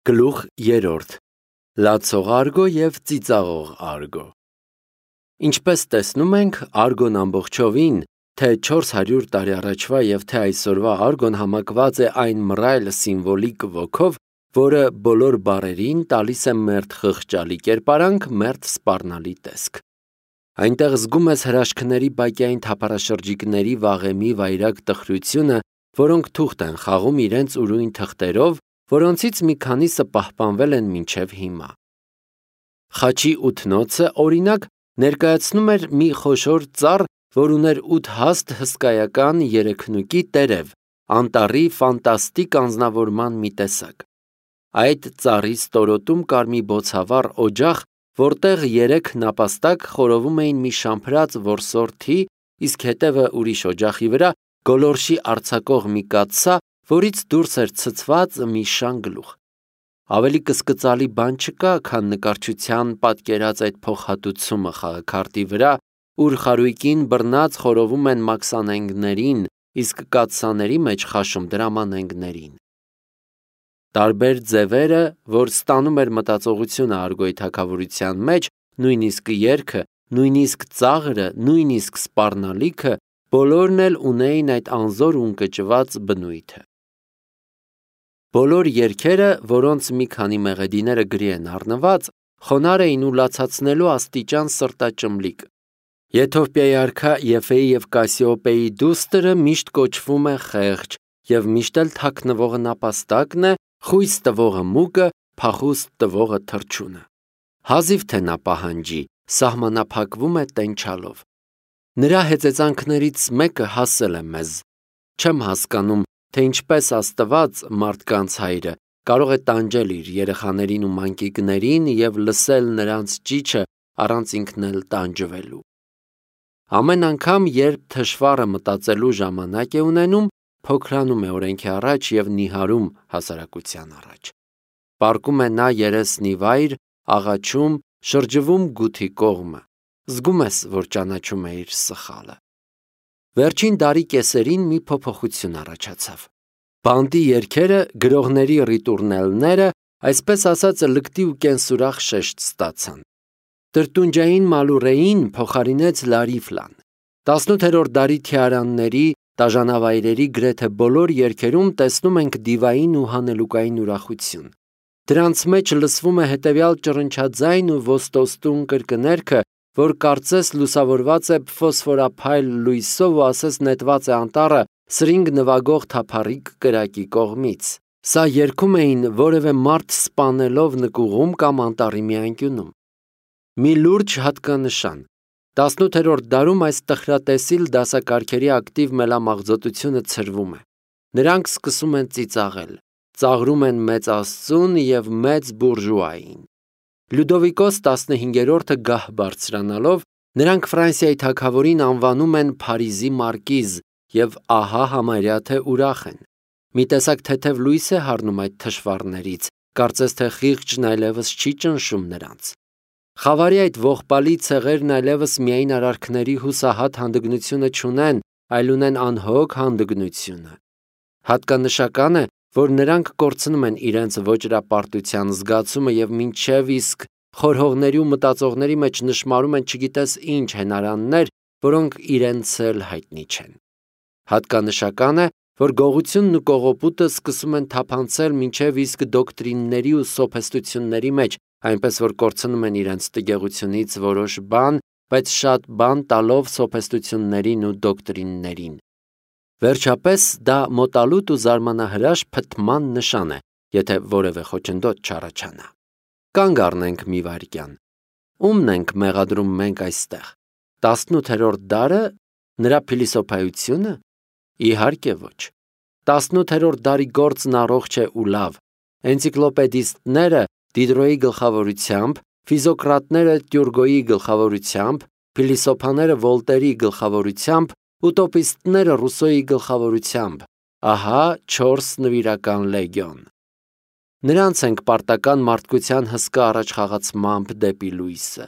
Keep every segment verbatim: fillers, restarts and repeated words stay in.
Գլուխ երրորդ. Լացող արգո և ծիծաղող արգո։ Ինչպես տեսնում ենք, արգոն ամբողջովին, թե չորս հարյուր տարի առաջվա և թե այսօրվա արգոն համակված է այն մռայլ սիմվոլիկ ոգով, որը բոլոր բառերին տալիս է մերթ խղճալի կերպարանք, մերթ սպառնալի տեսք։ Այնտեղ զգում ես հրաշքների բակյային թափառաշրջիկների վաղեմի վայրագ տխրությունը, որոնք թուղթ են խաղում իրենց ուրույն թղթերով, որոնցից մի քանիսը պահպանվել են մինչև հիմա։ Խաչի ութնոցը, օրինակ, ներկայացնում էր մի խոշոր ծառ, որ ուներ ութ հաստ հսկայական երեքնուկի տերև, անտառի ֆանտաստիկ անձնավորման մի տեսակ։ Այդ ծառի ստորոտում կար մի բոցավառ օջախ, որտեղ երեք նապաստակ խորովում էին մի շամփրած որսորդի, իսկ հետևը ուրիշ օջախի վրա գոլորշի արձակող մի կաթսա, որից դուրս էր ցցված մի շան գլուխ։ Ավելի կսկծալի բան չկա, քան նկարչության պատկերած այդ փոխհատուցումը խաղաքարտի վրա, ուր խարույկին բռնած խորովում են մաքսանենգներին, իսկ կաթսաների մեջ խաշում դրամանենգներին։ Տարբեր ձևերը, որ ստանում էր մտածողությունը արգոյի թագավորության մեջ, նույնիսկ երգը, նույնիսկ ծաղրը, նույնիսկ սպառնալիքը, բոլորն էլ ունեին այդ անզոր ու ընկճված բնույթը։ Բոլոր երգերը, որոնց մի քանի մեղեդիները գրի են առնված, խոնարհ էին ու լացացնելու աստիճան սրտաճմլիկ։ Եթովպիայի արքա Եֆեի և Կասիոպեի դուստրը միշտ կոչվում է խեղճ, և միշտ էլ թաքնվողը նապաստակն է, խույս տվողը մուկը, փախուստ տվողը թռչունը։ Հազիվ թե նա պահանջի, սահմանափակվում է տենչալով։ Նրա հեծեծանքներից մեկը հասել է մեզ։ Չեմ հասկանում, թե ինչպես Աստված, մարդկանց հայրը, կարող է տանջել իր երեխաներին ու մանկիկներին և լսել նրանց ճիչը առանց ինքն էլ տանջվելու։ Ամեն անգամ, երբ թշվառը մտածելու ժամանակ է ունենում, փոքրանում է օրենքի առաջ և նիհարում հասարակության առաջ։ Պառկում է նա երեսն ի վայր, աղաչում, շրջվում գութի կողմը։ Զգում ես, որ ճանաչում է իր սխալը։ Վերջին դարի կեսերին մի փոփոխություն առաջացավ։ Բանտի երգերը, գրողների ռիտուրնելները, այսպես ասած, լկտի ու կենսուրախ շեշտ ստացան։ Տրտունջային մալուրեին փոխարինեց լարիֆլան։ Տասնութերորդ դարի թիարանների, տաժանավայրերի գրեթե բոլոր երգերում տեսնում ենք դիվային ու հանելուկային ուրախություն։ Դրանց մեջ լսվում է հետևյալ ճռնչաձայն ու ոստոստուն կրկներգը, որ կարծես լուսավորված է ֆոսֆորափայլ լույսով ու ասես նետված է անտառը սրինգ նվագող թափառիկ կրակի կողմից։ Սա երգում էին որևէ մարդ սպանելով նկուղում կամ անտառի մի անկյունում։ Մի լուրջ հատկանշան. տասնութերորդ դարում այս տխրատեսիլ դասակարգերի ակտիվ մելամաղձոտությունը ցրվում է։ Նրանք սկսում են ծիծաղել, ծաղրում են մեծ Աստծուն և մեծ բուրժուային։ Լյուդովիկոս տասնհինգերորդը գահ բարձրանալով, նրանք Ֆրանսիայի թագավորին անվանում են Փարիզի մարկիզ և ահա համարյա թե ուրախ են։ Մի տեսակ թեթև լույս է հառնում այդ թշվառներից, կարծես թե խիղճն այլևս չի ճնշում նրանց։ Խավարի այդ ողբալի ցեղերն այլևս միայն արարքների հուսահատ հանդգնությունը չունեն, այլ ունեն անհոգ հանդգնությունը։ Հատկանշական է, որ նրանք կորցնում են իրենց ոճրապարտության զգացումը և մինչև իսկ խորհողների ու մտածողների մեջ նշմարում են չգիտես ինչ հենարաններ, որոնք իրենց էլ հայտնի չեն։ Հատկանշական է, որ գողությունն ու կողոպուտը սկսում են թափանցել մինչև իսկ դոկտրինների ու սոփեստությունների մեջ, այնպես որ կորցնում են իրենց տգեղությունից որոշ բան, բայց շատ բան տալով սոփեստություններին ու դոկտրիններին։ Վերջապես դա մոտալուտ ու զարմանահրաշ փթման նշան է, եթե որևէ խոչընդոտ չառաջանա։ Կանգ առնենք մի վայրկյան։ Ո՞ւմն ենք մեղադրում մենք այստեղ։ Տասնութերորդ դարը, նրա փիլիսոփայությո՞ւնը։ Իհարկե ոչ։ Տասնութերորդ դարի գործն առողջ է ու լավ։ Էնցիկլոպեդիստները Դիդրոյի գլխավորությամբ, ֆիզոկրատները Տյուրգոյի գլխավորությամբ, փիլիսոփաները Վոլտերի գլխավորությամբ, ուտոպիստները Ռուսոյի գլխավորությամբ։ Ահա չորս նվիրական լեգիոն։ Նրանց ենք պարտական մարդկության հսկա առաջխաղացմամբ դեպի լույսը։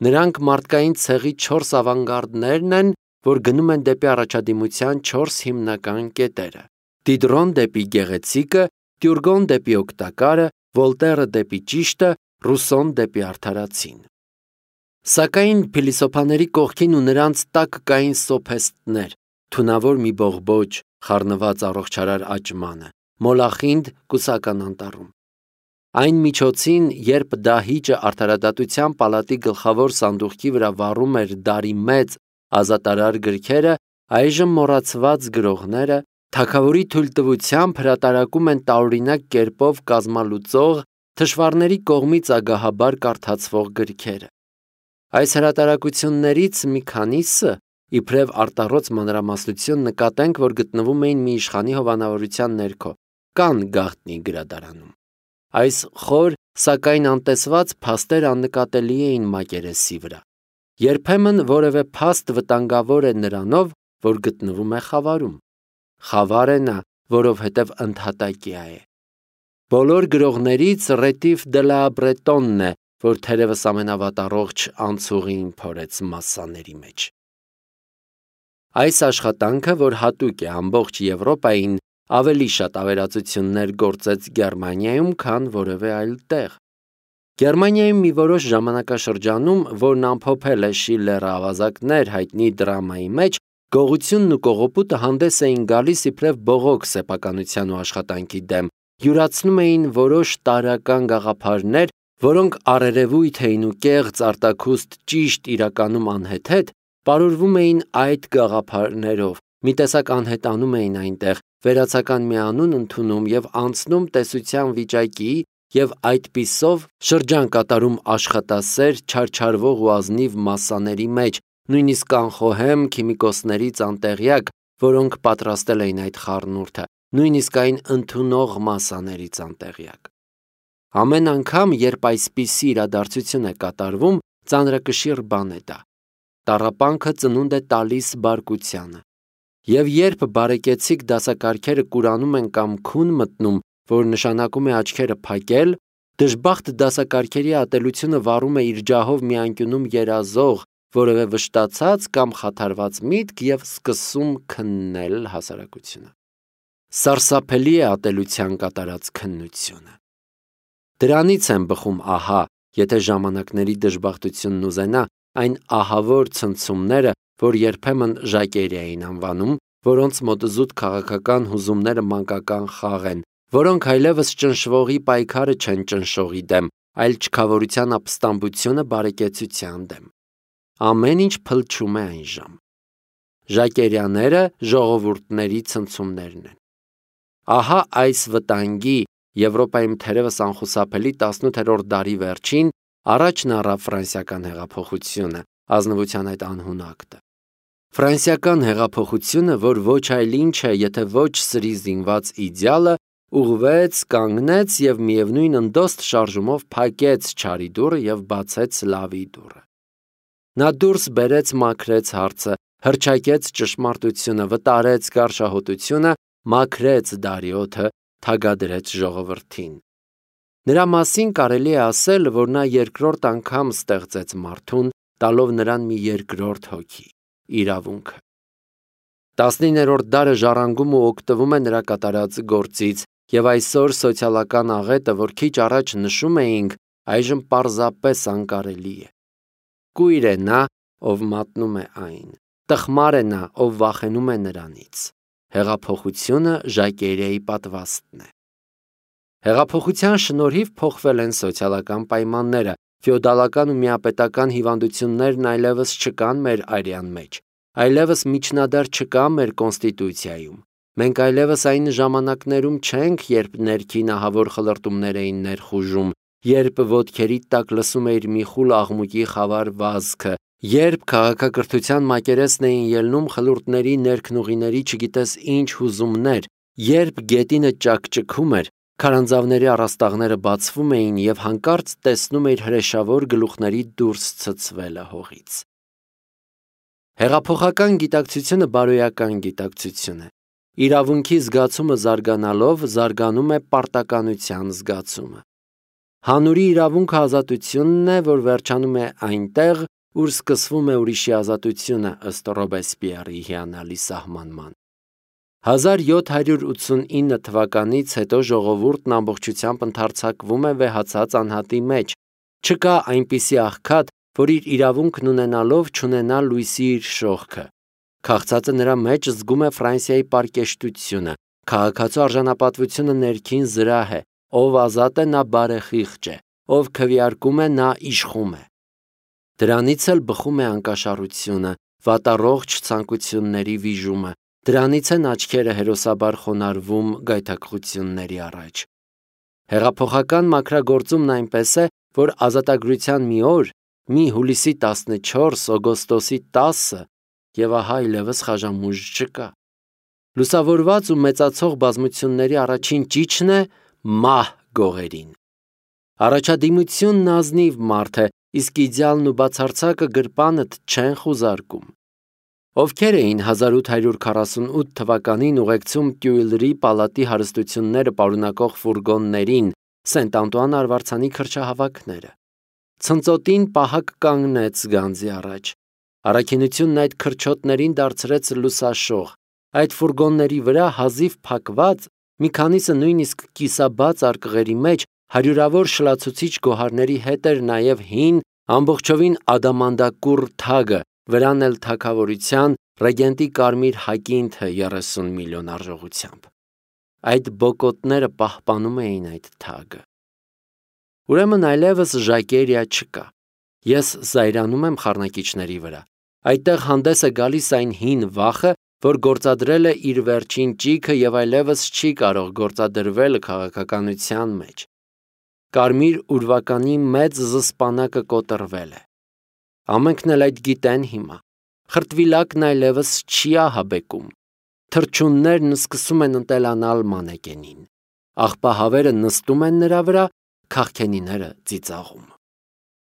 Նրանք մարդկային ցեղի չորս ավանգարդներն են, որ գնում են դեպի առաջադիմության չորս հիմնական կետերը։ Դիդրոն դեպի գեղեցիկը, Տյուրգոն դեպի օգտակարը, Վոլտերը դեպի ճիշտը, Ռուսոն դեպի արդարացին։ Սակայն փիլիսոփաների կողքին ու նրանց տակ կային սոփեստներ, թունավոր մի բողբոջ, խառնված առողջարար աճմանը, մոլախինդ կուսական անտառում։ Այն միջոցին, երբ դահիճը արդարադատության պալատի գլխավոր սանդուղքի վրա վառում էր դարի մեծ ազատարար գրքերը, այժմ մոռացված գրողները թագավորի թույլտվությամբ հրատարակում են տարօրինակ կերպով կազմալուծող, թշվառների կողմից ագահաբար կարդացվող գրքերը։ Այս հրատարակություններից մի քանիսը, իբրև արտառոց մանրամասնություն նկատենք, որ գտնվում էին մի իշխանի հովանավորության ներքո, կան գաղտնի գրադարանում։ Այս խոր, սակայն անտեսված փաստեր աննկատելի էին մակերեսի վրա։ Երբեմն որևէ փաստ վտանգավոր է նրանով, որ գտնվում է խավարում։ Խավար է նա, որովհետև ընդհատակյա է։ Բոլոր գրողներից Ռետիֆ դե լա Բրետոնն է, որ թերևս ամենավատառողջ անցուղին փորեց մասսաների մեջ։ Այս աշխատանքը, որ հատուկ է ամբողջ Եվրոպային, ավելի շատ ավերածություններ գործեց Գերմանիայում, քան որևէ այլ տեղ։ Գերմանիայում մի որոշ ժամանակաշրջանում, որն ամփոփել է Շիլլերը ավազակներ հայտնի դրամայի մեջ, գողությունն ու կողոպուտը հանդես էին գալիս իբրև բողոք սեփականության ու աշխատանքի դեմ, յուրացնում էին որոշ տարրական գաղափարներ, որոնք առերևույթ էին ու կեղծ արտաքուստ ճիշտ իրականում անհեթեթ, պարուրվում էին այդ գաղափարներով, մի տեսակ անհետանում էին այնտեղ, վերացական մի անուն ընդունում և անցնում տեսության վիճակի և այդպիսով շրջան կատարում աշխատասեր, չարչարվող ու ազնիվ մասսաների մեջ, նույնիսկ անխոհեմ քիմիկոսներից անտեղյակ, որոնք պատրաստել էին այդ խառնուրդը, նույնիսկ այն ընդունող մասսաներից անտեղյակ։ Ամեն անգամ, երբ այսպիսի իրադարձություն է կատարվում, ծանրակշիռ բան է դա։ Տառապանքը ծնունդ է տալիս բարկությանը։ Եվ երբ բարեկեցիկ դասակարգերը կուրանում են կամ քուն մտնում, որ նշանակում է աչքերը փակել, դժբախտ դասակարգերի ատելությունը վառում է իր ջահով մի անկյունում երազող, որևէ վշտացած կամ խաթարված միտք և սկսում քննել հասարակությունը։ Սարսափելի է ատելության կատարած քննությունը։ Դրանից են բխում ահա, եթե ժամանակների դժբախտությունն ուզենա, այն ահավոր ցնցումները, որ երբեմն ժակերի էին անվանում, որոնց մոտ զուտ քաղաքական հուզումները մանկական խաղ են, որոնք այլևս ճնշվողի պայքարը չեն ճնշողի դեմ, այլ չքավորության ապստամբությունը բարեկեցության դեմ։ Ամեն ինչ փլչում է այնժամ։ Ժակերյաները ժողովուրդների ցնցումներն են։ Ահա այս վտանգի Եվրոպայում թերևս անխուսափելի տասնութերորդ դարի վերջին առաջն առավ ֆրանսիական հեղափոխությունը, ազնվության այդ անհուն ակտը։ Ֆրանսիական հեղափոխությունը, որ ոչ այլ ինչ է, եթե ոչ սրի զինված իդեալը, ուղղվեց, կանգնեց և միևնույն ընդոստ շարժումով փակեց չարի դուռը և բացեց լավի դուռը։ Նա դուրս բերեց մաքրեց հարցը, հռչակեց ճշմարտությունը, վտարեց գարշահոտությունը, մաքրեց դարիոթը, թագադրեց ժողովրդին։ Նրա մասին կարելի է ասել, որ նա երկրորդ անգամ ստեղծեց մարդուն, տալով նրան մի երկրորդ հոգի՝ իրավունքը։ Տասնիններորդ դարը ժառանգում ու օգտվում է նրա կատարած գործից, և այսօր սոցիալական աղետը, որ քիչ առաջ նշում էինք, այժմ պարզապես անկարելի է։ Կույր է նա, ով մատնում է այն, տխմար է նա, ով վախենում է նրանից։ Հեղափոխությունը Ժակերիայի պատվաստն է։ Հեղափոխության շնորհիվ փոխվել են սոցիալական պայմանները, ֆեոդալական ու միապետական հիվանդություններն այլևս չկան մեր արյան մեջ, այլևս միջնադար չկա մեր կոնստիտուցիայում։ Մենք այլևս այն ժամանակներում չենք, երբ ներքին ահավոր խլրտումներ էին ներխուժում, երբ ոտքերի տակ լսում էիր մի խուլ աղմուկի խավար վազքը, երբ քաղաքակրթության մակերեսն էին ելնում խլուրտների ներքնուղիների չգիտես ինչ հուզումներ, երբ գետինը ճաքճքում էր, քարանձավների առաստաղները բացվում էին և հանկարծ տեսնում էիր հրեշավոր գլուխների դուրս ցցվելը հողից։ Հեղափոխական գիտակցությունը բարոյական գիտակցություն է։ Իրավունքի զգացումը զարգանալով զարգանում է պարտականության զգացումը։ Հանուրի իրավունքը ազատությունն է, որ վերջանում է այնտեղ, ուր սկսվում է ուրիշի ազատությունը ըստ Ռոբեսպիերի հիանալի սահմանման։ հազար յոթ հարյուր ութսունինը թվականից հետո ժողովուրդն ամբողջությամբ ընդարձակվում է վեհացած անհատի մեջ, չկա այնպիսի աղքատ, որ իր իրավունքն ունենալով չունենա լույսի իր շողքը, քաղցածը նրա մեջ զգում է Ֆրանսիայի պարկեշտությունը, քաղաքացու արժանապատվությունը ներքին զրահ է, ով ազատ է նա բարեխիղճ է, ով քվեարկում է նա իշխում է, դրանից էլ բխում է անկաշառությունը, վատառողջ ցանկությունների վիժումը, դրանից են աչքերը հերոսաբար խոնարհվում գայթակղությունների առաջ։ Հեղափոխական մաքրագործումն այնպես է, որ ազատագրության մի օր, մի հուլիսի տասնչորս, օգոստոսի տասը, եւ ահա այլևս խաժամուժ չկա։ Լուսավորված ու մեծացող բազմությունների առաջին ճիչն է մահ գողերին։ Առաջադիմությունն ազնիվ մարդ է, իսկ իդեալն ու բացարձակը գրպանդ չեն խուզարկում։ Ովքեր էին հազար ութ հարյուր քառասունութ թվականին ուղեկցում Տյուիլրի պալատի հարստությունները պարունակող ֆուրգոններին Սենտ Անտուան արվարձանի քրչահավաքները։ Ցնծոտին պահակ կանգնեց գանձի առաջ։ Առաքինությունն այդ քրչոտներին դարձրեց լուսաշող։ Այդ ֆուրգոնների վրա հազիվ փակված, մի քանիսը նույնիսկ կիսաբաց արկղերի մեջ հարյուրավոր շլացուցիչ գոհարների հետ էր նաև հին, ամբողջովին ադամանդակուռ թագը, վրան էլ թագավորության ռեգենտի կարմիր հակինթը երեսուն միլիոն արժողությամբ։ Այդ բոկոտները պահպանում էին այդ թագը։ Ուրեմն այլևս ժակերիա չկա։ Ես զայրանում եմ խառնակիչների վրա։ Այդտեղ հանդես է գալիս այն հին վախը, որ գործադրել է իր վերջին ճիգը եւ այլևս չի կարող գործադրվել քաղաքականության մեջ։ Կարմիր ուրվականի մեծ զսպանակը կոտրվել է։ Ամենքն էլ այդ գիտեն հիմա։ Խրտվիլակն այլևս չի ահաբեկում։ Թռչուններն սկսում են ընտելանալ մանեկենին։ Աղբահավերը նստում են նրա վրա, քաղքենիները ծիծաղում։